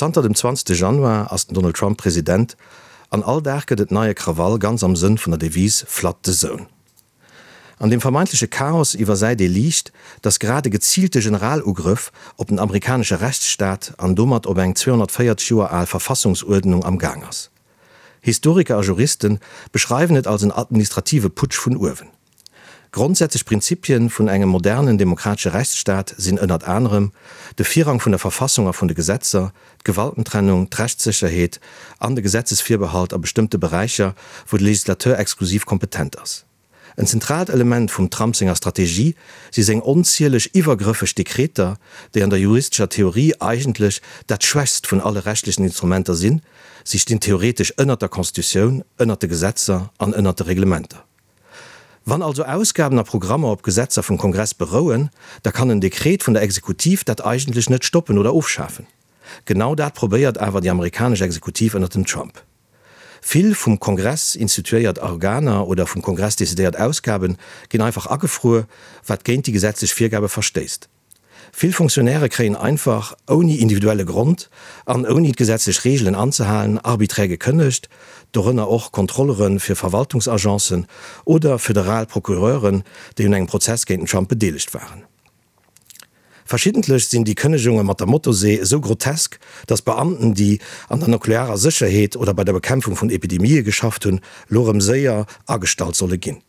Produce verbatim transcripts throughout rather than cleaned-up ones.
Zanter dem zwanzegste Januar ass den Donald Trump President an all Dag gëtt et neie Krawall, ganz am Sënn vun der Devise Flood the Zone. An dem vermeintleche Chaos iwwersäit ee liicht, datt grad e geziilte Generalugrëff op den amerikanesche Rechtsstaat an domat op eng zweehonnertvéierzeg Joer al Verfassungsuerdnung am Gaang ass. Historiker a Juriste beschreiwen et als en administrative Putsch vun uewen. Grondsätzlech Prinzipien vun engem modernen demokratesche Rechtsstaat sinn ënnert anerem de Virrang vun der Verfassung a vun de Gesetzer, d'Gewaltentrennung, d'Rechtssécherheet an de Gesetzesvirbehalt a bestëmmte Beräicher, wou de Legislateur exklusiv kompetent ass. En zentraalt Element vum Trump senger Strategie si seng onzieleg iwwergrëffeg Dekreter, déi an der juristescher Theorie eigentlech dat schwächst vun alle rechtlechen Instrumenter sinn, si stinn theoretesch ënnert der Constitutioun, ënnert de Gesetzer an ënnert de Reglementer. Wann also Ausgaben a Programmer op Gesetzer vum Kongress berouen, da kann en Dekret vun der Exekutiv dat eigentlech net stoppen oder ofschafen. Genau dat probéiert awer déi amerikanesch Exekutiv ënnert dem Trump. Vill vum Kongress instituéiert Organer oder vum Kongress decidéiert Ausgaben ginn einfach agefruer, wat géint déi gesetzlech Virgabe verstéisst. Vill Fonctionnairë kréien einfach, ouni individuelle Grond an ouni d'gesetzlech Reegelen anzehalen, arbiträr gekënnegt, dorënner och Kontrollere fir Verwaltungsagencen oder federal Procureuren, déi un engem Prozess géint den Trump bedeelegt waren. Verschiddentlech sinn déi Kënnegunge mat der Motosee esou grotesk, datt Beamten, déi an der nuklearer Sécherheet oder bei der Bekämpfung vun Epidemië geschafft hunn, lo rëm séier agestallt solle ginn.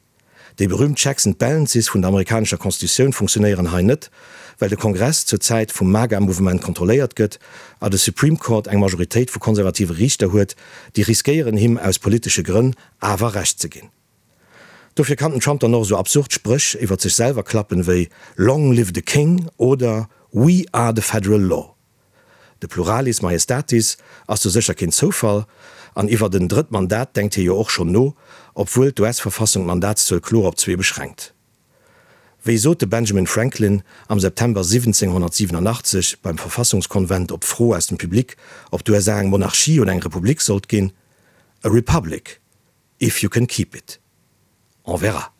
Déi berüümt Checks and Balances vun der amerikanescher Constitutioun funktionéieren hei net, well de Kongress zur Zäit vum MAGA-Mouvement kontrolléiert gëtt a de Supreme Court eng Majoritéit vu konservative Riichter huet, déi riskéieren him aus politesche Grënn awer Recht ze ginn. Dofir kann den Trump dann och esou absurd Spréch iwwer sech selwer klappen wéi Long live the King oder We are the federal law. De Pluralis Majestatis ass do sécher keen Zoufall, an iwwert en drëtt Mandat denkt hie jo och schonn no, obwuel d'U S-Verfassung d'Mandatszuel kloer op zwee beschränkt. Wéi sot de Benjamin Franklin am September siwwenzénghonnertsiwenunachtzeg beim Verfassungskonvent op d'Fro aus dem Public, ob d'U S A eng Monarchie oder eng Republik sollt ginn? A republic, if you can keep it. On verra.